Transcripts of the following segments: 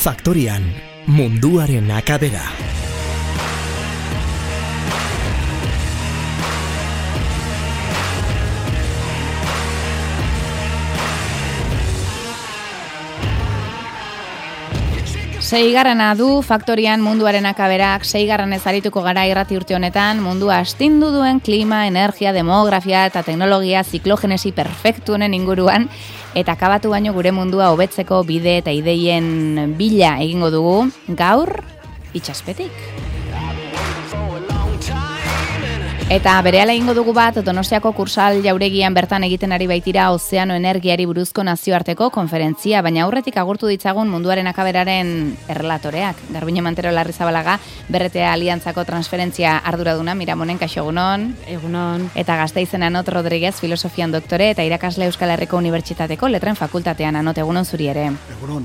Faktorian, munduaren akabera. Seigarrena du Faktorian munduaren akaberak, seigarrenez arituko gara irrati urte honetan, mundua astindu duen klima, energia, demografia eta teknologia ziklogenesi perfektuenen inguruan, eta akabatu baino gure mundua hobetzeko bide eta ideien bila egingo dugu, gaur itsaspetik. Eta berehala egingo dugu bat, Donostiako Kursal jauregian bertan egiten ari baitira ozeano energiari buruzko nazioarteko konferentzia, baina aurretik agurtu ditzagun munduaren akaberaren errelatoreak. Garbine Mantero Larrizabalaga, BRTA Aliantzako transferentzia arduraduna, Miramonen, kaixo egunon. Egunon. Eta Gasteizen Anot Rodriguez, filosofian doktore, eta irakasle Euskal Herriko Unibertsitateko letren fakultatean. Anot, egunon zuri ere. Egunon.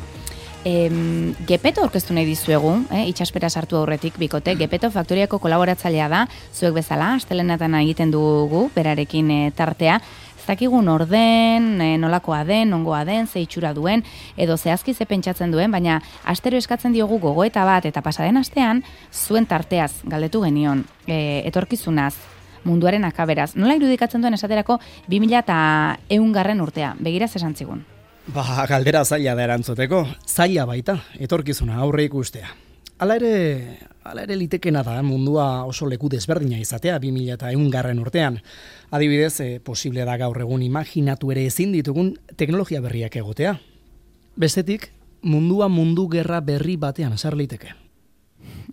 Gepeto aurkeztu nahi dizuegu, itxaspera sartu aurretik bikote, Gepeto Faktoriako kolaboratzailea da, zuek bezala, astelenetan egiten dugu, berarekin tartea, ez dakigun orden, nolakoa den, nongoa den, ze itxura duen, edo zehazki ze pentsatzen duen, baina astero eskatzen diogu gogoeta bat, eta pasaden astean, zuen tarteaz galdetu genion, etorkizunaz, munduaren akaberaz. Nola irudikatzen duen esaterako 2100 urtea, begiraz esan zigun. Galdera zaila da erantzuteko, zaila baita, etorkizuna aurre ikustea. Hala ere litekena da mundua oso leku desberdina izatea 2100 urtean. Adibidez, posible da gaur egun imaginatu ere ezin ditugun teknologia berriak egotea. Bestetik, mundua mundu gerra berri batean sar liteke.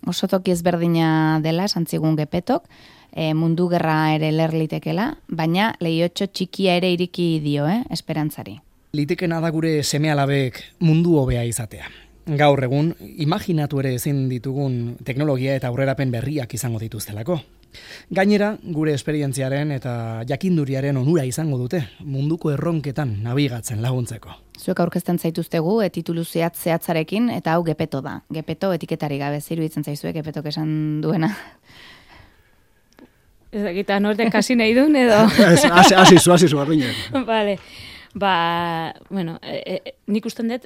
Oso toki ezberdina dela, santzigun Gepetok, mundu gerra ere ler litekela, baina lehiotxo txikia ere iriki dio, esperantzari. Litekena da gure seme-alabek mundu hobea izatea. Gaur egun, imaginatu ere ezin ditugun teknologia eta aurrerapen berriak izango dituztelako. Gainera, gure esperientziaren eta jakinduriaren onura izango dute, munduko erronketan nabigatzen laguntzeko. Zuek aurkezten zaituztegu, titulu zehatzarekin, eta hau Gepeto da. Gepeto etiketari gabe, iruditzen zaizuek Gepetok esan duena. Ez dakita norte kasi nahi duen edo? Hasi zu, arruinen. Vale. Nik usten dut,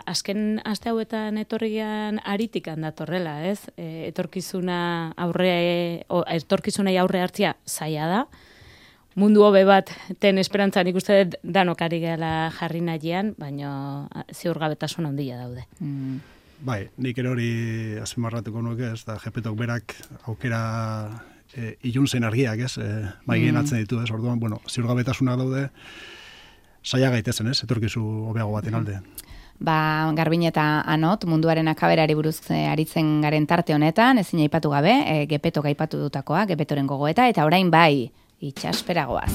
azken aste hauetan etorrian aritikan datorrela, ez? Etorkizunai aurre hartzia zaila da. Mundu hobe bat ten esperantza nik uste dut danok ari gela jarri nahian, baina ziurgabetasun handia daude. Bai, nik ere hori azpimarratuko nuke, ez da Gepetok berak aukera iluntzen argiak, ez? Maigien atzen ditu, ez? Orduan, ziurgabetasunak daude, saia gaitezen, ez? Etorkizu hobeago baten alde. Garbin eta Anot, munduaren akaberari buruz aritzen garen tarte honetan, ezin aipatu gabe, Gepetok aipatu dutakoa, Gepetoren gogoeta, eta orain bai, itxasperagoaz.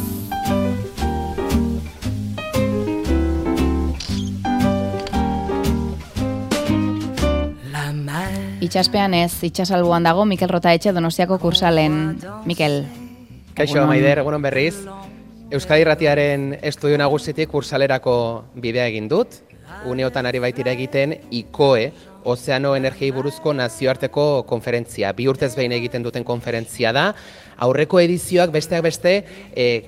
Itxaspean ez, itxasalbuan dago, Mikel Rotaetxe Donostiako Kursalen. Mikel. Kaixo, Maider, egunon berriz. Euskadi Irratiaren estudio nagusitik Kursalerako bidea egin dut. Uneotan ari baitira egiten ICOE, Ozeano Energiei buruzko nazioarteko konferentzia. 2 urtez behin egiten duten konferentzia da. Aurreko edizioak besteak beste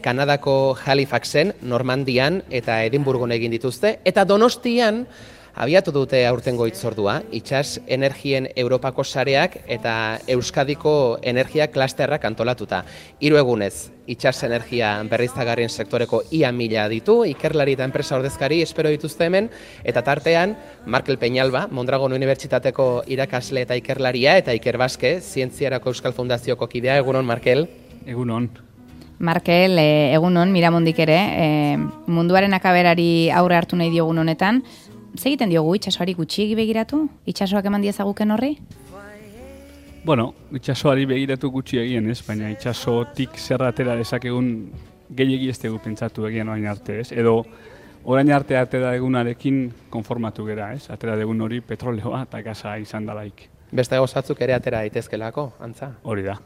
Kanadako Halifaxen, Normandian eta Edinburgon egin dituzte. Eta Donostian abiatu dute aurtengo hitzordua, itsas energien Europako sareak eta Euskadiko energia klasterrak antolatuta. 3 egunez, itsas energia berriztagarrien sektoreko ia 1000 ditu, ikerlari eta enpresa ordezkari espero dituzte hemen, eta tartean, Markel Peñalba, Mondragon Unibertsitateko irakasle eta ikerlaria, eta Iker Baske, Zientziarako Euskal Fundazioko kidea. Egunon, Markel. Egunon. Markel, egunon, Miramondik ere, munduaren akaberari aurre hartu nahi diogun honetan, egiten diogu itxasoari gutxiegi begiratu? Itxasoak eman diezaguken horri? Itxasoari begiratu gutxi egien, ez? Baina itxasotik zerra atera dezakegun gehiegi ez dugu pentsatu egien orain arte, ez? Edo orain arte atera egunarekin konformatu gera, ez? Atera egun hori petroleoa eta gaza izan dalaik. Beste gozatzuk ere atera daitezkelako, antza? Hori da.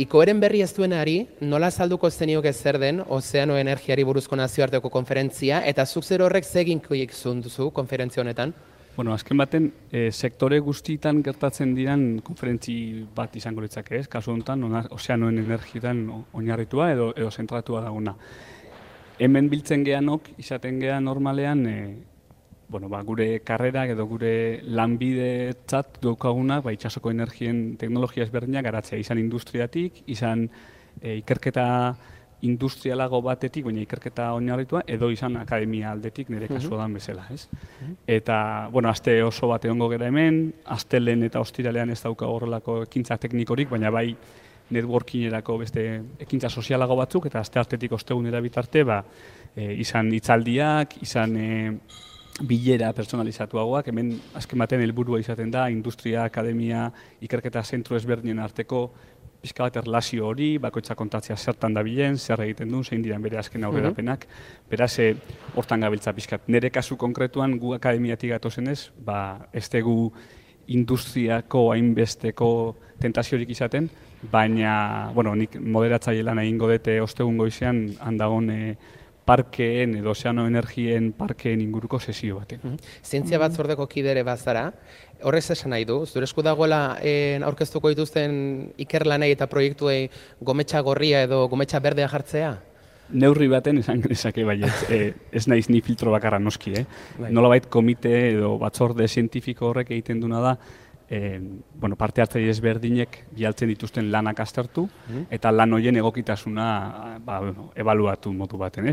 ICOEren berri ez duenari, nola azalduko zenioke zer den Ozeano Energiari buruzko nazioarteko konferentzia, eta zuk zer horrek zeginkoik zunduzu konferentzia honetan? Azken baten, sektore guztietan gertatzen diran konferentzi bat izango litzake, ez? Kasu honetan, ozeanoen energietan oinarritua edo zentratua daguna. Hemen biltzen geanok, izaten gean normalean, gure karrerak edo gure lanbidetzat daukagunak itsasoko energien teknologia ezberdinak garatzea, izan industriatik, izan ikerketa industrialago batetik, baina ikerketa oinarritua, edo izan akademia aldetik nire kasuan bezala, ez? Eta, aste oso bat egongo gera hemen, astelen eta ostiralean ez dauka horrelako ekintza teknikorik, baina bai networkingerako beste ekintza sozialago batzuk, eta aste artetik ostegunera bitarte, izan hitzaldiak, izan bilera personalizatuagoak, hemen azken batean helburua izaten da, industria, akademia, ikerketa zentro ezberdinen arteko pixka bat erlazio hori, bakoitza kontatzea zertan dabilen, zer egiten duen, zein diren bere azken aurrerapenak, beraz, hortan gabiltza pixkat. Nire kasu konkretuan, gu akademiatik gatozenez, ez dugu industriako hainbesteko tentaziorik izaten, baina, nik moderatzaile lan egingo dute ostegun goizean, handagon parkeen edo ozeano energien parkeen inguruko sesio baten. Zientzia batzordeko kidere bazara, horrez esan nahi du, zure esku dagoela aurkeztuko dituzten ikerlanei eta proiektuei gometxa gorria edo gometxa berdea jartzea? Neurri baten esan genezake baiet, ez naiz ni filtro bakarra noski, nolabait komite edo batzorde zientifiko horrek egiten duna da, parte hartzaile ezberdinek bialtzen dituzten lanak aztertu, eta lan horien egokitasuna ebaluatu modu baten,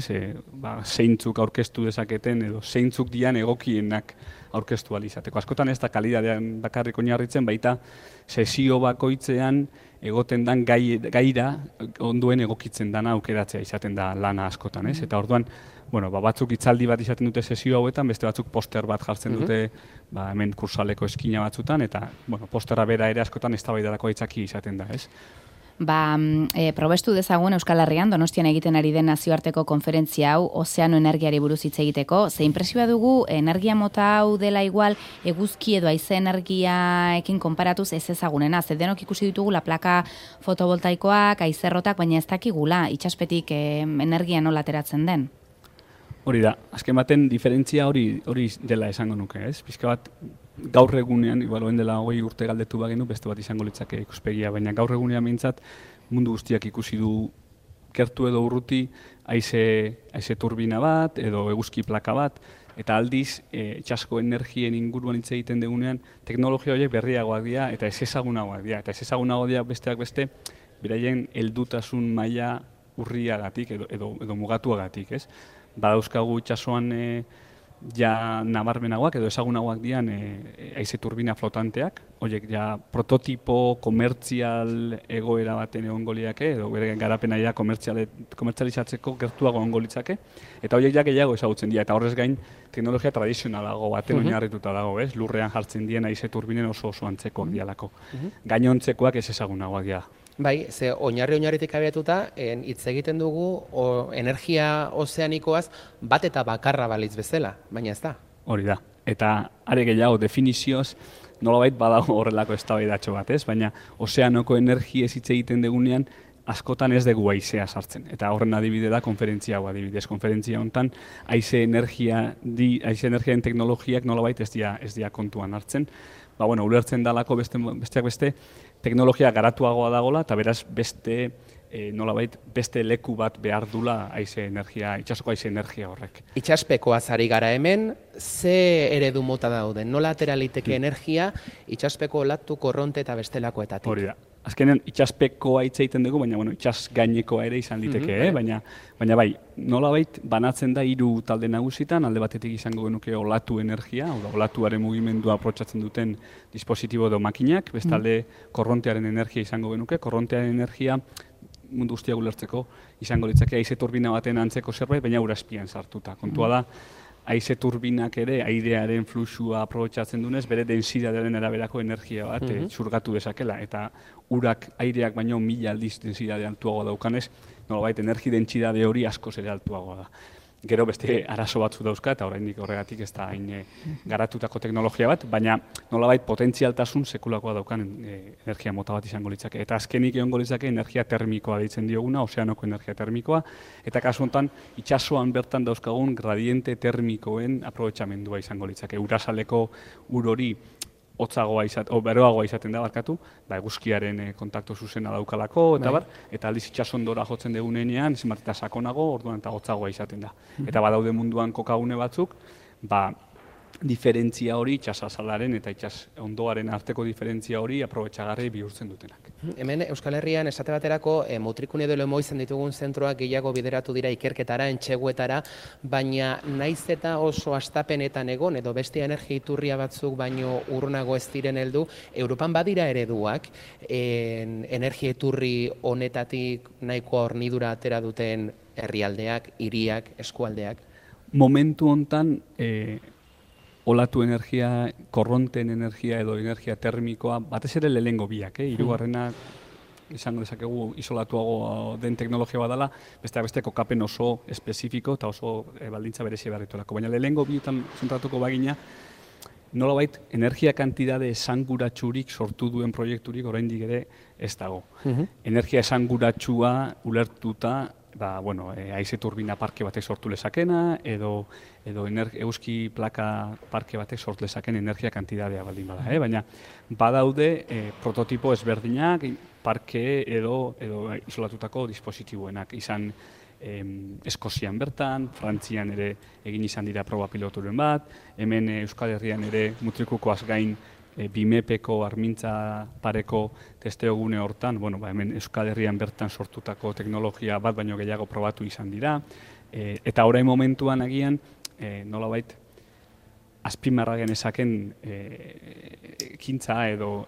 zeintzuk aurkeztu dezaketen edo zeintzuk dian egokienak aurkeztu alizateko. Askotan ez da kalidadean bakarrik oinarritzen, baita sesio bakoitzean egoten dan gaira onduen egokitzen dana aukeratzea izaten da lana askotan, eta orduan, batzuk hitzaldi bat izaten dute sesio hauetan, beste batzuk poster bat jartzen dute hemen kursaleko eskina batzutan, eta posterra bera ere askotan eztabaidarako aitzaki izaten da, ez? Probestu dezagun Euskal Herrian Donostian egiten ari den nazioarteko konferentzia hau ozeano energiari buruz hitz egiteko. Ze inpresioa dugu energia mota hau dela igual eguzki edo haize energiaekin konparatuz ez ezagunena. Ze denok ikusi ditugula plaka fotovoltaikoak, haizerrotak, baina ez dakigula itsaspetik energia nola ateratzen den. Hori da, azken baten diferentzia hori dela esango nuke, ez? Pizka bat gaur egunean, igual dela 20 urte galdetu bagenu, beste bat izango litzake ikuspegia, baina gaur egunean behintzat mundu guztiak ikusi du gertu edo urruti haize turbina bat edo eguzki plaka bat, eta aldiz itsasko energien inguruan hitz egiten dugunean teknologia horiek berriagoak dira eta ez ezagunagoak dira, eta ez ezagunagoak dira besteak beste beraien heldutasun maila urriagatik edo mugatuagatik, ez? Badauzkagu itsasoan ja nabarmenagoak edo ezagunagoak dian haize turbina flotanteak, horiek ja prototipo komertzial egoera baten egongo liake edo bere garapena ja komertzializatzeko gertuago egongo litzake, eta horiek ja gehiago ezagutzen dira, eta horrez gain teknologia tradizionalago baten oinarrituta dago, ez? Lurrean jartzen dien haize turbinen oso antzekoak dialako. Gainontzekoak ez ezagunagoak dira. Bai, ze oinarritik abiatuta, hitz egiten dugu energia ozeanikoaz bat eta bakarra balitz bezala, baina ez da. Hori da, eta are gehiago definizioz nolabait badago horrelako eztabaidatxo bat, ez? Baina ozeanoko energiez hitz egiten dugunean askotan ez dugu haizea sartzen. Eta horren adibide da konferentzia hau adibidez. Konferentzia honetan haize energiaren teknologiak nolabait ez dira kontuan hartzen. Ulertzen dalako besteak beste teknologia garatuagoa dagola, eta beraz beste leku bat behar dula itsasoko haize energia horrek. Itsaspekoaz ari gara hemen, ze eredu mota dauden? Nola atera liteke energia itsaspeko olatu, korronte eta bestelakoetatik? Hori da. Azkenean itsaspekoa hitz egiten dugu, baina itsas gainekoa ere izan liteke, baina bai, nolabait banatzen da 3 talde nagusitan, alde batetik izango genuke olatu energia, olatuaren mugimendua aprotsatzen duten dispositibo edo makinak, bestalde korrontearen energia izango genuke, korrontearen energia mundu guztiak ulertzeko izango litzake haize turbina baten antzeko zerbait, baina ura azpian sartuta. Kontua da, haize turbinak ere airearen fluxua aprobetxatzen dunez, bere densidadearen araberako energia bat zurgatu dezakela, eta urak aireak baino 1000 aldiz densidade altuagoa daukanez, nolabait energi dentsidade hori askoz ere altuagoa da. Gero beste arazo batzu dauzka, eta oraindik horregatik ez da hain garatutako teknologia bat, baina nolabait potentzialtasun sekulakoa daukan energia mota bat izango litzake. Eta azkenik egongo litzake energia termikoa deitzen dioguna, ozeanoko energia termikoa, eta kasu honetan itsasoan bertan dauzkagun gradiente termikoen aprobetxamendua izango litzake. Urasaleko ur hori beroagoa izaten da, eguzkiaren kontaktu zuzena daukalako, eta aldiz itsasondora jotzen dugunean, zenbat eta sakonago, orduan eta hotzagoa izaten da. Eta badaude munduan kokagune batzuk, diferentzia hori, itsasazalaren eta itsas ondoaren arteko diferentzia hori aprobetxagarri bihurtzen dutenak. Hemen Euskal Herrian esate baterako Mutrikune edo Lemoizen ditugun zentroak gehiago bideratu dira ikerketara, entxeguetara, baina naiz eta oso astapenetan egon edo beste energia iturria batzuk baino urrunago ez diren heldu, Europan badira ereduak energia iturri honetatik nahiko hornidura atera duten herrialdeak, hiriak, eskualdeak. Momentu hontan olatu energia, korronten energia edo energia termikoa, batez ere lehengo biak, hirugarrena izango dezakegu isolatuago den teknologia badala, beste kokapen oso espezifiko eta oso baldintza berezi barritorako. Baina lehengo bietan zentratuko bagina, nolabait energia kantidade esanguratsurik sortu duen proiekturik oraindik ere ez dago. Energia esanguratsua ulertuta, haize turbina parke batek sortu lezakena, edo euski plaka parke batek sortu lezaken energia kantidadea baldin bada. Baina badaude prototipo ezberdinak, parke edo isolatutako dispositiboenak izan Eskozian bertan, Frantzian ere egin izan dira proba piloturen bat, hemen Euskal Herrian ere Mutrikukoaz gain BIMEPeko armintza pareko testeogune hortan, hemen Euskal Herrian bertan sortutako teknologia bat baino gehiago probatu izan dira, eta orain momentuan agian, nolabait, azpimarra genezaken ekintza edo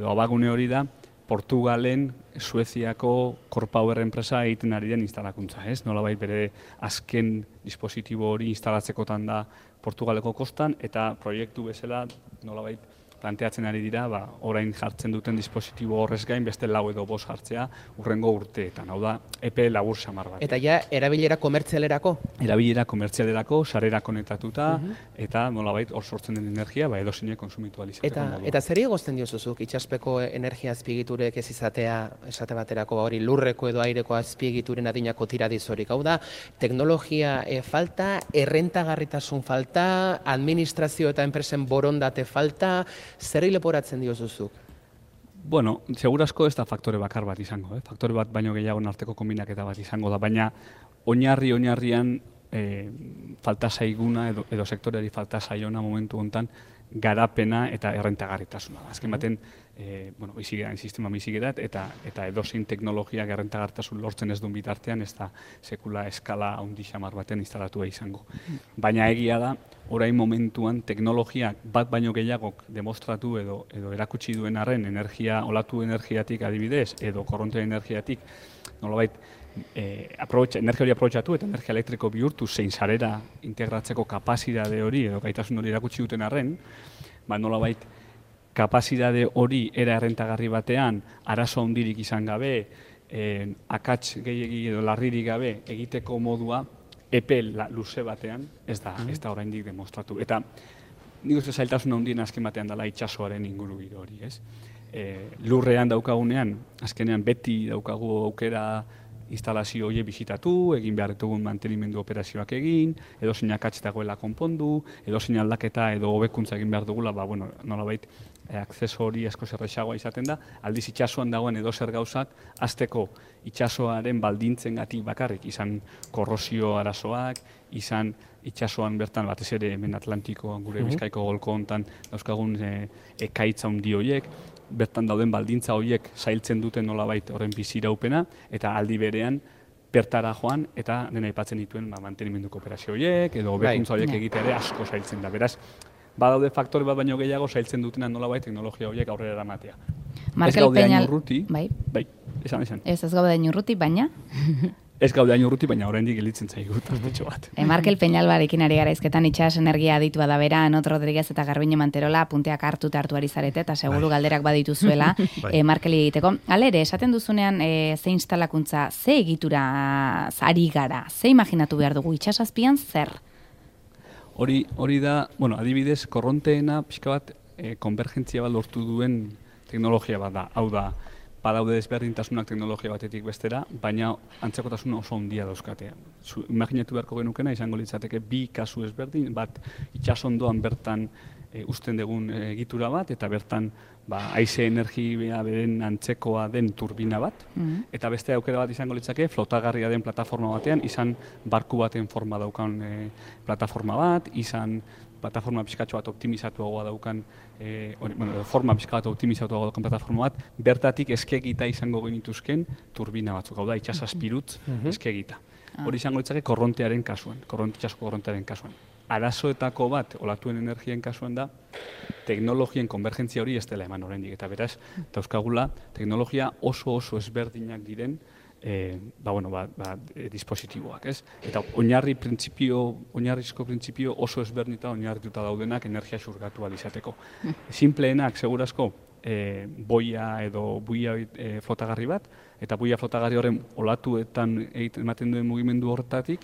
abagune hori da, Portugalen, Sueziako Corpower enpresa egiten ari den instalakuntza, ez? Nolabait bere azken dispositibo hori instalatzekotan da Portugaleko kostan, eta proiektu bezala nolabait planteatzen ari dira, orain jartzen duten dispositibo horrez gain beste 4 edo 5 jartzea urrengo urteetan, hau da, epe labur samar bat. Eta ja, erabilera komertzialerako? Erabilera komertzialerako, sarera konetatuta, eta nolabait hor sortzen den energia, edozine konsumitu alizateko modua. Eta zer egozten diozuzuk, itxaspeko energia azpiegiturek ez izatea, esate baterako hori lurreko edo aireko azpiegituren adinako tiradizorik, hau da, teknologia falta, errentagarritasun falta, administrazio eta enpresen borondate falta, zer leporatzen diozuzuk? Bueno, segurazko ez da faktore bakar bat izango, faktore bat baino gehiago arteko kombinaketa bat izango da, baina oinarrian falta zaiguna edo sektoreari falta zaiona momentu hontan garapena eta errentagarritasuna. Azken baten, bizigeran, sistema bizigerat, eta edozein teknologiak errentagarritasun lortzen ez duen bitartean, ez da sekula eskala handi xamar baten instalatua izango. Baina egia da, orain momentuan teknologiak bat baino gehiagok demostratu edo erakutsi duen arren olatu energiatik adibidez, edo korronte energiatik, nolabait, energia hori aprobetxatu eta energia elektriko bihurtu zein sarera integratzeko kapazidade hori edo gaitasun hori erakutsi duten arren, nolabait kapazidade hori era errentagarri batean arazo handirik izan gabe, akats gehiegi edo larririk gabe egiteko modua epe luze batean ez da oraindik demostratu. Eta nik uste zailtasun handien azken batean dela itsasoaren ingurugiro hori, ez? Lurrean daukagunean, azkenean beti daukagu aukera instalazio horiek bisitatu, egin behar ditugun mantenimendu operazioak egin, edo zein akats dagoela konpondu, edo zein aldaketa edo hobekuntza egin behar dugula, nolabait akzeso hori asko zerrexagoa izaten da, aldiz itsasoan dagoen edo zer gauzak, azteko itsasoaren baldintzengatik bakarrik, izan korrosio arazoak, izan itsasoan bertan batez ere hemen Atlantikoan gure Bizkaiko golko hontan dauzkagun ekaitza handi horiek, bertan dauden baldintza horiek zailtzen duten nolabait horren biziraupena, eta aldi berean bertara joan eta dena aipatzen dituen mantenimenduko operazio horiek, edo hobekuntza horiek egitea ere asko zailtzen da. Beraz, badaude faktore bat baino gehiago zailtzen dutena nolabait teknologia horiek aurrera eramatea. Ez gaude hain urruti, esan. Ez gaude hain urruti, baina? Ez gaude hain urruti, baina oraindik gelditzen zaigu tartetxo bat. Markel Peñalbarekin ari gara izketan itxas energia aditua da bera, Anot Rodriguez eta Garbine Manterola punteak hartu ari zarete, eta seguru galderak badituzuela Markeli egiteko. Halere, esaten duzunean ze instalakuntza, ze egitura ari gara, ze imaginatu behar dugu itxasazpian zer? Hori da, adibidez, korronteena pixka bat konvergentzia bat lortu duen teknologia bat da, hau da, badaude desberdintasunak teknologia batetik bestera, baina antzekotasun oso handia dauzkatea. Imaginatu beharko genukena izango litzateke bi kasu ezberdin, bat itsasondoan bertan uzten dugun egitura bat, eta bertan haize energia beren antzekoa den turbina bat, eta beste aukera bat izango litzake flotagarria den plataforma batean, izan barku baten forma daukan plataforma bat, izan plataforma pixkatxo bat optimizatuagoa daukan, forma pixka bat optimizatuagoa daukan plataforma bat, bertatik eskegita izango genituzken turbina batzuk, hau da, itxasaspirutz eskegita. Hori izango litzake korrontearen kasuan, itxasoko korrontearen kasuan. Arazoetako bat, olatuen energien kasuan da, teknologien konvergentzia hori ez dela eman oraindik, eta beraz, dauzkagula, teknologia oso ezberdinak diren dispositiboak, ez? Eta oinarrizko printzipio oso ezberdinita oinarrituta daudenak energia xurgatu ahal izateko. Simpleenak, segurazko, boia edo buia flotagarri bat, eta buia flotagarri horren olatuetan ematen duen mugimendu horretatik,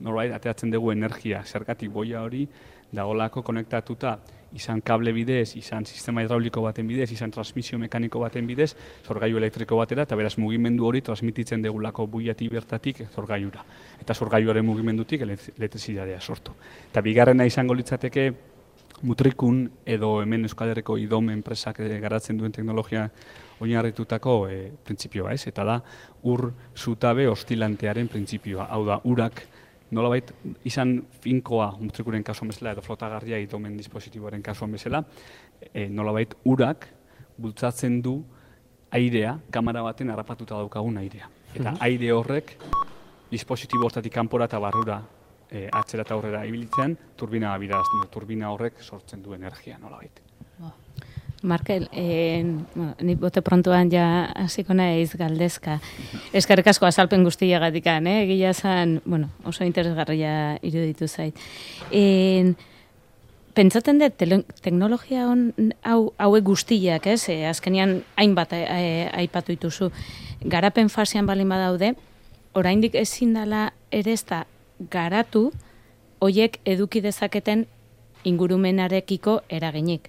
norbait ateratzen dugu energia, zergatik boia hori dagolako konektatuta izan kable bidez, izan sistema hidrauliko baten bidez, izan transmisio mekaniko baten bidez, zorgailu elektriko batera, eta beraz mugimendu hori transmititzen degulako buiatik bertatik zorgailura. Eta zorgailuaren mugimendutik elektrizitatea sortu. Eta bigarrena izango litzateke Mutrikun edo hemen Euskal Herriko IDOM enpresak garatzen duen teknologia oinarritutako printzipioa, ez? Eta da ur zutabe ostilantearen printzipioa. Hau da, urak nolabait izan finkoa Mutrikuren kasuan bezala edo flotagarria IDOMen dispositiboaren kasuan bezala, nolabait urak bultzatzen du airea, kamera baten harrapatuta daukagun airea. Eta aire horrek dispositibo hortatik kanpora eta barrura atzera eta aurrera ibiltzen, turbina horrek sortzen du energia, nolabait. Markel, ni bote prontuan ja hasiko naiz galdezka. Eskerrik asko azalpen guztiagatik, egia zen, oso interesgarria iruditu zait. Pentsatzen dut, teknologia hauek guztiak, azkenean hainbat aipatu dituzu, garapen fasean balin badaude, oraindik ezin dela ere ez da garatu hoiek eduki dezaketen ingurumenarekiko eraginik.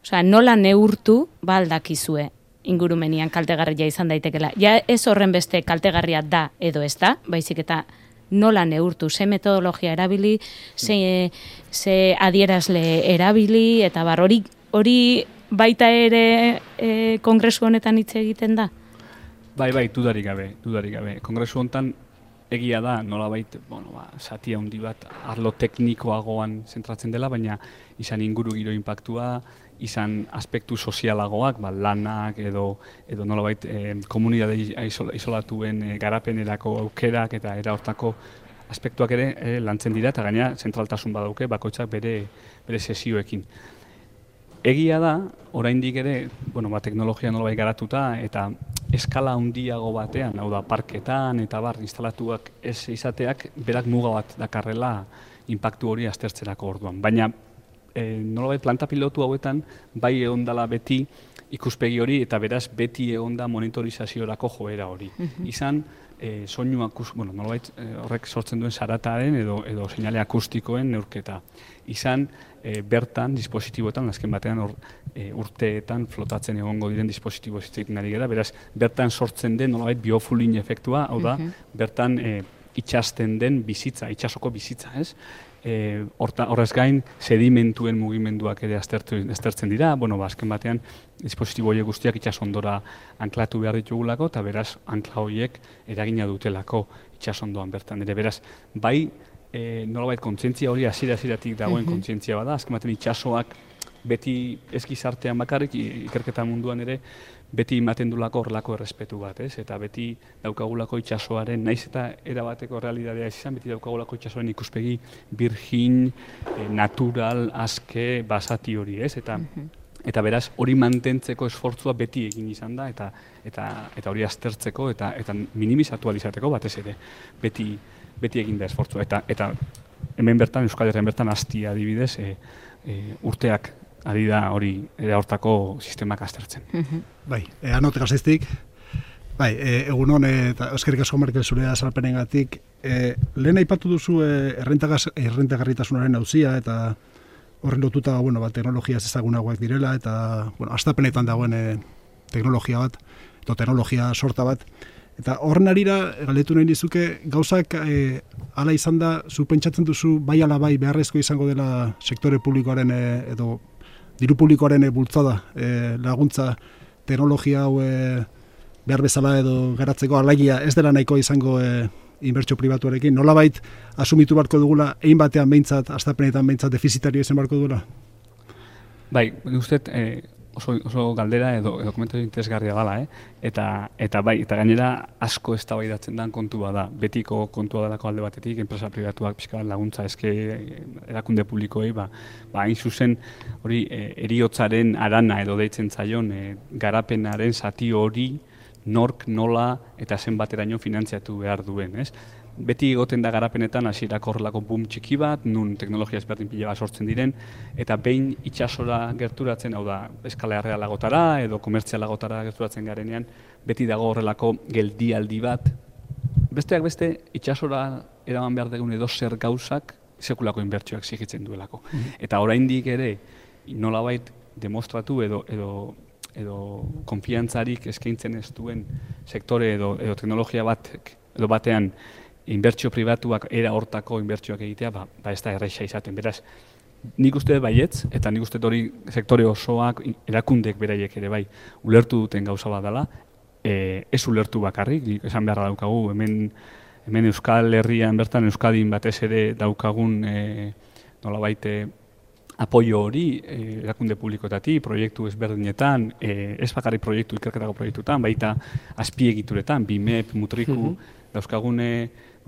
Osea, nola neurtu baldakizue ingurumenian kaltegarria izan daitekela. Ja ez horren beste kaltegarria da edo ez da, baizik eta nola neurtu, ze metodologia erabili, ze adierazle erabili, eta hori baita ere kongresu honetan hitz egiten da? Bai, dudarik gabe. Kongresu honetan egia da, nolabait, zati handi bat arlo teknikoagoan zentratzen dela, baina izan inguru giro inpaktua, izan aspektu sozialagoak, lanak edo nolabait komunidade isolatuen garapenerako aukerak eta era hortako aspektuak ere lantzen dira, eta gaina zentraltasun badauke bakoitzak bere sesioekin. Egia da, oraindik ere, teknologia nolabait garatuta eta eskala handiago batean, hau da, parketan eta instalatuak ez izateak, berak muga bat dakarrela inpaktu hori aztertzerako orduan. Baina, nolabait planta pilotu hauetan, bai egondala beti ikuspegi hori, eta beraz beti egonda monitorizaziorako joera hori. Izan, soinuak, nolabait horrek sortzen duen zarataren edo seinale akustikoen neurketa. Izan, bertan, dispositiboetan, azken batean urteetan flotatzen egongo diren dispositibo zitzeiten ari gara, beraz, bertan sortzen den nolabait biofulin efektua, hau da, bertan itxasten den bizitza, itxasoko bizitza, ez? Horrez gain, sedimentuen mugimenduak ere aztertzen dira, azken batean, dispositibo horiek guztiak itsasondora anklatu behar ditugulako, eta beraz, ankla horiek eragina dutelako itsasondoan bertan. Beraz, bai, nolabait kontzientzia hori hasieratik dagoen kontzientzia bada, azken batean itsasoak beti ez gizartean bakarrik, ikerketa munduan ere, beti ematen dulako horrelako errespetu bat, ez? Eta beti daukagulako itsasoaren, naiz eta erabateko realitatea izan, beti daukagulako itsasoaren ikuspegi virgin, natural, aske, basati hori, ez? Eta beraz, hori mantentzeko esfortzua beti egin izan da, eta hori aztertzeko, eta minimizatu alizateko batez ere, beti egin da esfortzua. Eta hemen bertan, Euskal Herrian bertan, Astia adibidez, urteak ari da hori hortako sistemak aztertzen. Bai, anotek aziztik. Bai, egun hon, eta eskerrik asko Markel zure azalpenengatik. Lehen aipatu duzu errentagarritasunaren auzia, eta horren lotuta, teknologia ezagunagoak direla, eta, astapenetan dagoen teknologia bat, edo teknologia sorta bat. Eta horren arira, galdetu nahi dizuke, gauzak hala izan da, zu pentsatzen duzu, bai ala bai beharrezko izango dela sektore publikoaren edo diru publikoaren bultzada, laguntza teknologia hau behar bezala edo garatzeko alagia ez dela nahiko izango inbertsio pribatuarekin, nolabait asumitu barko dugula, egin batean behintzat, astapenetan behintzat defizitario izan barko dugula? Bai, uste, oso galdera edo komentazio interesgarria dela, eta bai, eta gainera asko eztabaidatzen den kontua da. Betiko kontua delako alde batetik, enpresa pribatuak pixka laguntza eske erakunde publikoei, hain zuzen hori heriotzaren arana edo deitzen zaion garapenaren zati hori nork, nola eta zenbateraino finantziatu behar duen, ez? Beti egoten da garapenetan hasierako horrelako boom txiki bat, nun teknologia ezberdin pila bat sortzen diren, eta behin itsasora gerturatzen, hau da, eskala errealagotara edo komertzialagotara gerturatzen garenean, beti dago horrelako geldialdi bat. Besteak beste, itsasora eraman behar dugun edo zer gauzak sekulako inbertsioak zigitzen duelako. Eta oraindik ere, nolabait demostratu edo konfiantzarik eskaintzen ez duen sektore edo teknologia batean inbertsio pribatuak era hortako inbertsioak egitea, ez da erraixa izaten. Beraz, nik uste baietz, eta nik uste hori sektore osoak, erakundek beraiek ere bai, ulertu duten gauza bat dela, ez ulertu bakarrik, esan beharra daukagu, hemen Euskal Herrian bertan, Euskadin batez ere daukagun nolabait apoio hori erakunde publikoetatik, proiektu ezberdinetan, ez bakarrik proiektu, ikerketako proiektuetan, baita azpiegituretan, BIMEP, Mutriku, dauzkagune,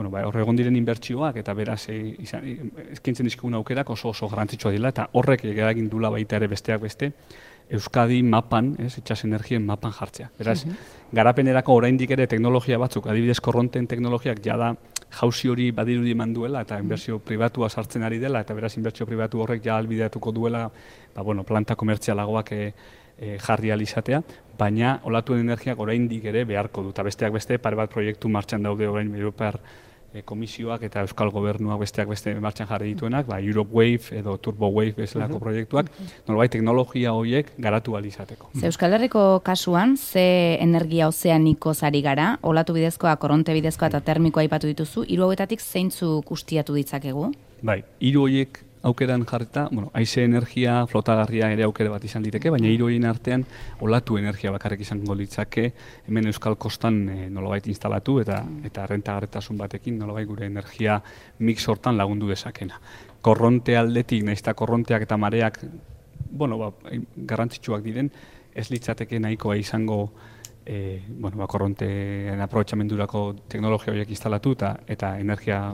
hor egon diren inbertsioak eta beraz eskaintzen dizkigun aukerak oso garrantzitsua dela eta horrek eragin duela baita ere besteak beste Euskadi mapan, itsas energien mapan jartzea. Beraz, garapenerako oraindik ere teknologia batzuk, adibidez korronten teknologiak jada jauzi hori badirudi eman duela eta inbertsio pribatua sartzen ari dela eta beraz inbertsio pribatu horrek ja albideatuko duela planta komertzialagoak jarri alizatea, baina olatuen energiak oraindik ere beharko du. Eta besteak beste, pare bat proiektu martxan daude orain Europar Komisioak eta Euskal Gobernuak besteak beste martxan jarri dituenak, Europe Wave edo Turbo Wave bezalako proiektuak, nolabait teknologia horiek garatu alizateko. Euskal Herriko kasuan, ze energia ozeaniko zari gara, olatu bidezkoa, korronte bidezkoa eta termikoa aipatu dituzu, hiru hauetatik zeintzuk ustiatu ditzakegu? Bai, hiru horiek aukeran jarrita, haize energia, flotagarria ere aukere bat izan liteke, baina hiru horien artean olatu energia bakarrik izango litzake hemen Euskal Kostan nolabait instalatu eta rentagarritasun batekin nolabait gure energia mix hortan lagundu dezakena. Korronte aldetik, nahiz eta korronteak eta mareak garrantzitsuak diren, ez litzateke nahikoa izango korronteen aprobetxamendurako teknologia horiek instalatu eta energia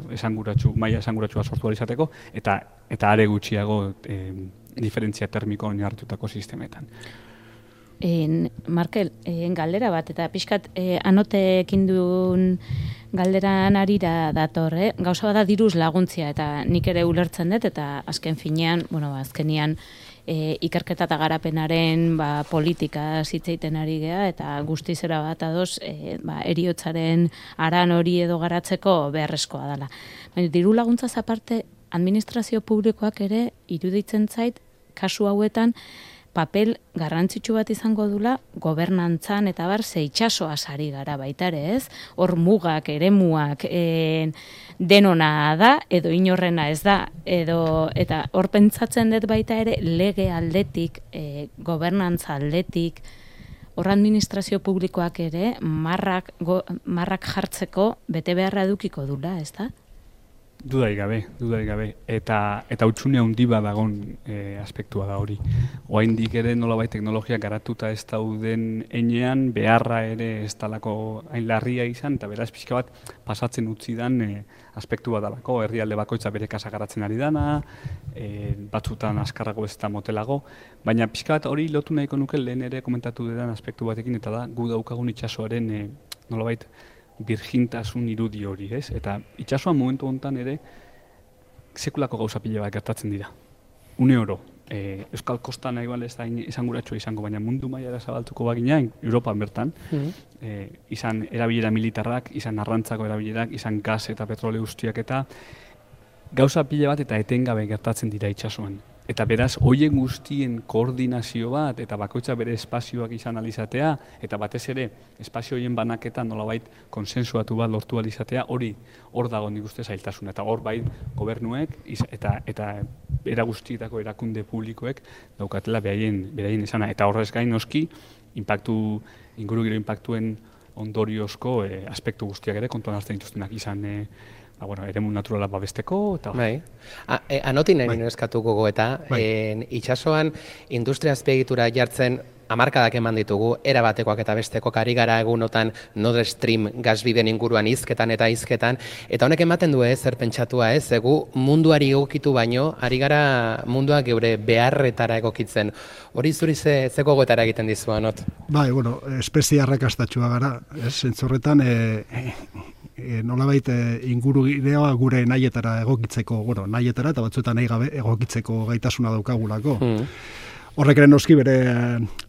maila esanguratsua sortu izateko eta are gutxiago diferentzia termiko oinarritutako sistemetan. Markel, galdera bat, eta pixkat anotekin duen galderan arira dator, gauza bada diruz laguntzia, eta nik ere ulertzen dut, eta azken finean, azkenian ikerketa eta garapenaren politika zitzeiten ari gea, eta guztizera bat adoz heriotzaren aran hori edo garatzeko beharrezkoa dela. Baina diru laguntzaz aparte, administrazio publikoak ere iruditzen zait, kasu hauetan, papel garrantzitsu bat izango dula gobernantzan eta ze itsasoaz ari gara baita ere, ez? Hor mugak, eremuak denona da edo inorrena ez da eta hor pentsatzen dut baita ere lege aldetik, gobernantza aldetik, hor administrazio publikoak ere marrak jartzeko bete beharra edukiko dula, ez da? Dudarik gabe. Eta utxune handi badagon aspektua da hori. Oraindik ere nolabait teknologia garatuta ez dauden heinean beharra ere ez dalako hain larria izan, eta beraz pixka bat pasatzen utzi dan aspektu bat dalako, herrialde bakoitza bere kasa garatzen ari dana, batzutan askarrago ez da motelago, baina pixka bat hori lotu nahiko nuke lehen ere komentatu dudan aspektu batekin, eta da gu daukagun itsasoaren nolabait birjintasun irudi hori, ez? Eta itsasoan momentu honetan ere sekulako gauza pila bat gertatzen dira. Une oro, Euskal Kostan nahi ez da esanguratsua izango, baina mundu mailara zabaltuko bagina, Europan bertan, izan erabilera militarrak, izan arrantzako erabilerak, izan gas eta petrole guztiak eta gauza pila bat eta etengabe gertatzen dira itsasoan. Eta beraz, hoien guztien koordinazio bat eta bakoitza bere espazioak izan alizatea eta batez ere espazio horien banaketan nolabait konsensuatu bat lortu alizatea hor dago nik uste zailtasun. Eta hor bai gobernuek eta era guztietako erakunde publikoek daukatela beraien esana. Eta horrez gain noski ingurugiro inpaktuen ondoriozko aspektu guztiak ere kontuan hartzen dituztenak izan eremu naturala babesteko. Bai. Anotin nahi eskatuko goeta, itxasoan industria azpiegitura jartzen hamarkadak eman ditugu, era batekoak eta bestekoak ari gara egunotan Nord Stream gasbiden inguruan hizketan, eta honek ematen du zer pentsatua egu munduari egokitu baino, ari gara mundua geure beharretara egokitzen. Hori zuri ze gogoetara egiten dizu, Anot? Bai, espezie arrakastatxua gara, zentzorretan nolabait ingurugiroa gure nahietara egokitzeko, nahietara eta batzuetan nahi gabe egokitzeko gaitasuna daukagulako. Horrek ere noski bere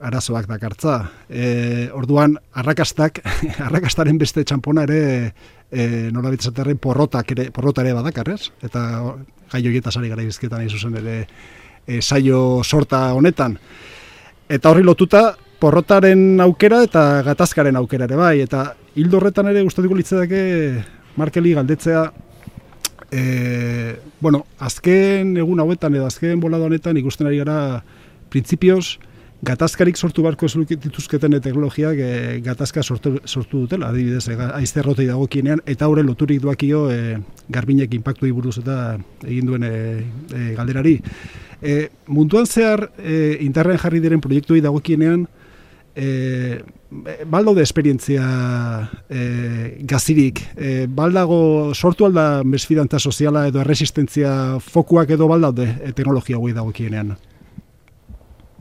arazoak dakartza. Orduan, arrakastaren beste txampona ere nolabait esaterren porrota ere badakar, ez? Eta gai horietaz ari gara izketan nahi zuzen ere saio sorta honetan. Eta horri lotuta, porrotaren aukera eta gatazkaren aukera ere bai. Eta hildo horretan ere gustatuko litzateke Markeli galdetzea, azken egun hauetan edo azken bolada honetan ikusten ari gara printzipioz, gatazkarik sortu barko dituzketen teknologiak gatazka sortu dutela, adibidez, haizte errotei dagokienean, eta horre loturik duakio garbinek inpaktuei buruz eta egin duen galderari. Munduan zehar, internet jarri diren proiektuei dagokienean, baldaude esperientzia gazirik, baldago sortu alda mesfidantza soziala edo erresistentzia fokuak edo baldaude teknologia hauei dagokienean.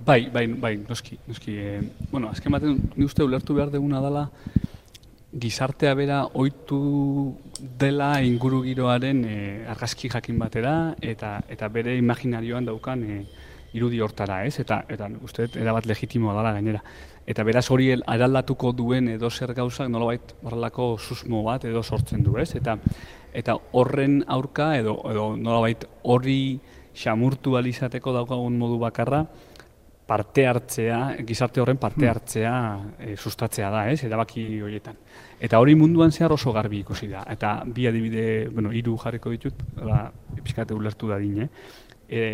Bai, noski. Azken batean, ni uste ulertu behar deguna dela, gizartea bera ohitu dela ingurugiroaren argazki jakin batera, eta bere imaginarioan daukan irudi hortara, ez? Eta uste erabat legitimoa dela gainera. Eta beraz hori eraldatuko duen edo zer gauzak nolabait horrelako susmo bat edo sortzen du, ez? Eta horren aurka edo nolabait hori xamurtu alizateko daukagun modu bakarra, parte hartzea, gizarte horren parte hartzea sustatzea da, erabaki horietan. Eta hori munduan zehar oso garbi ikusi da. Eta bi adibide, 3 jarriko ditut, pixkate ulertu dadin.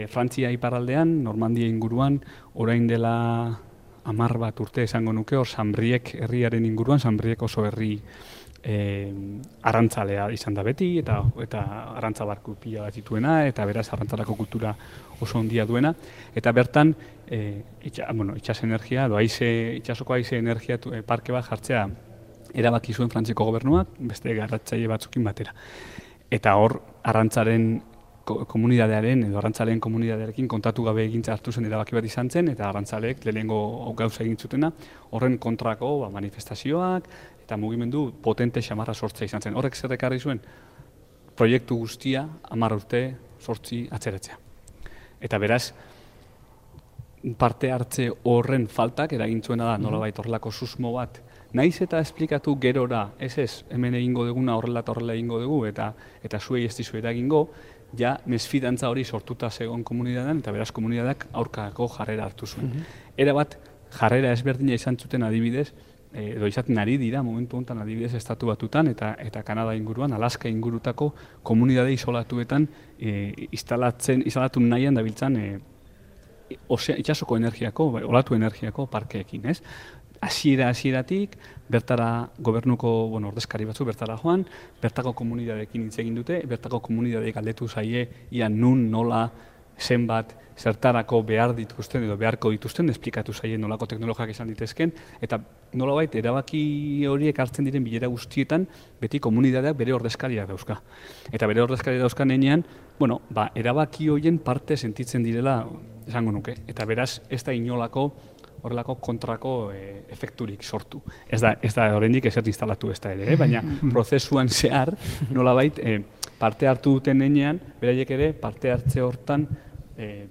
Frantzia iparraldean, Normandia inguruan, orain dela 10 bat urte esango nuke, hor Sanbriek herriaren inguruan, Sanbriek oso herri arrantzalea izan da beti, eta arrantzabarku pila bat dituena, eta beraz arrantzalako kultura oso ondia duena, eta bertan itxas energia, itxasoko haize energia parke bat jartzea erabaki zuen Frantziako gobernuak, beste garratzaile batzukin batera. Eta hor arrantzaren komunidadearen edo arrantzalen komunidadearekin kontatu gabe egintza hartu zen erabaki bat izan zen, eta arrantzaleek lehenengo gauza egin zutena, horren kontrako manifestazioak, eta mugimendu potente xamarra sortzea izan zen. Horrek zer ekarri zuen? Proiektu guztia 10 urte 8 atzeratzea. Eta beraz, parte hartze horren faltak eragin zuena da nolabait horrelako susmo bat. Naiz eta esplikatu gerora, hemen egingo duguna horrela egingo dugu, eta zuei ez dizu eragingo, ja mesfidantza hori sortuta zegoen komunidadean, eta beraz komunidadeak aurkako jarrera hartu zuen. Erabat jarrera ezberdina izan zuten adibidez, edo izaten ari dira momentu honetan adibidez Estatu Batutan eta Kanada inguruan, Alaska ingurutako komunidade isolatuetan instalatu nahian dabiltzan itxasoko energiako, olatu energiako parkeekin, ez? Hasieratik bertara gobernuko ordezkari batzu bertara joan, bertako komunidadeekin hitz egin dute, bertako komunidadeek galdetu zaie ia nun, nola, zenbat, zertarako behar dituzten edo beharko dituzten, esplikatu zaien nolako teknologiak izan ditezken, eta nolabait erabaki horiek hartzen diren bilera guztietan, beti komunidadeak bere ordezkariak dauzka. Eta bere ordezkariak dauzkan enean, erabaki horien parte sentitzen direla, esango nuke. Eta beraz, ez da inolako horrelako kontrako efekturik sortu. Ez da oraindik ezer instalatu ez da ere, baina prozesuan zehar, nolabait, parte hartu duten enean, beraiek ere parte hartze hortan,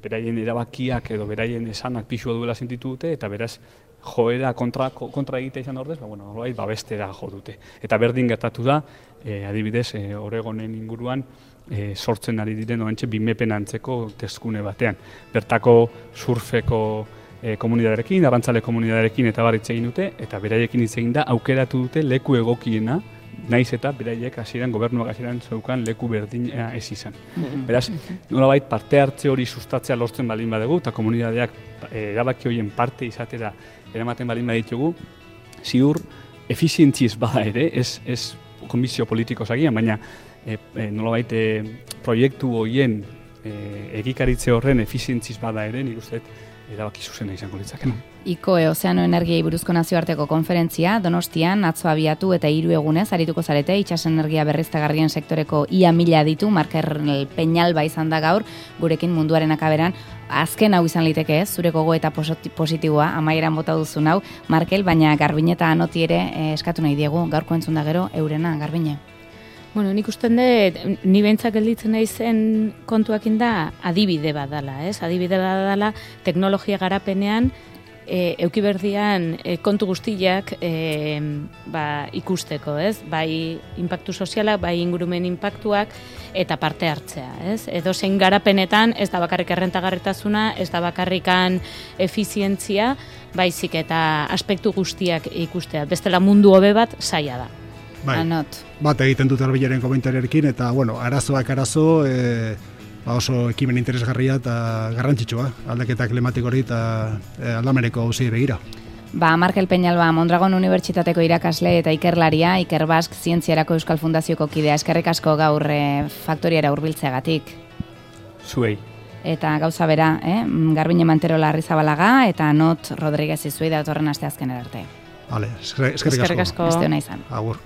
beraien erabakiak edo beraien esanak pixua duela sentitu dute, eta beraz, joera kontra egitea izan ordez, nolabait babestera jo dute. Eta berdin gertatu da, adibidez, Oregonen inguruan, sortzen ari diren oraintxe bimepen antzeko teskune batean. Bertako surfeko komunidaderekin, arrantzale komunidaderekin eta hitz egin dute, eta beraiekin hitz egin da aukeratu dute leku egokiena, naiz eta beraiek gobernuak hasieran zeukan leku berdina ez izan. Beraz, nolabait parte hartze hori sustatzea lortzen baldin badugu, eta komunidadeak erabaki horien parte izatera eramaten baldin baditugu, ziur efizientziz bada ere, ez komisio politiko zagian, baina nolabait proiektu horien egikaritze horren efizientziz bada ere, nik uste erabaki zuzena izango litzakena. ICOE Ozeano Energiei buruzko nazioarteko konferentzia Donostian atzo abiatu eta 3 egunez arituko zarete itsas energia berriztagarrien sektoreko ia 1000 ditu Markel Peñalba izan da gaur gurekin munduaren akaberan. Azken hau izan liteke ez, zure gogo eta positiboa amaieran bota duzun hau Markel, baina Garbine eta Anoti ere eskatu nahi diegu gaurko entzun da gero eurena Garbine. Bueno, nik usten dut, ni behintzak gelditzen naizen kontuakin da adibide bat dela, ez? Adibide bat dela teknologia garapenean eukiberdian kontu guztiak ikusteko, ez? Bai inpaktu sozialak, bai ingurumen inpaktuak eta parte hartzea, ez? Edo zein garapenetan ez da bakarrik errentagarritasuna, ez da bakarrikan efizientzia, baizik eta aspektu guztiak ikustea. Bestela mundu hobe bat zaila da. Bai, Anot. bat egiten dut arbilaren komentariarekin, eta, bueno, arazoak arazo, oso ekimen interesgarria eta garrantzitsua, aldaketa klimatiko hori eta aldameneko hauzi begira. Markel Peñalba, Mondragon Unibertsitateko irakasle eta ikerlaria, Iker Bask Zientziarako Euskal Fundazioko kidea, eskerrik asko gaur faktoriara hurbiltzeagatik. Zuei. Eta gauza bera, Garbine Manterola Arrizabalaga eta Anot Rodriguez izuei datorren asteazkenera arte. Vale, eskerrik asko. Beste ona izan. Agur.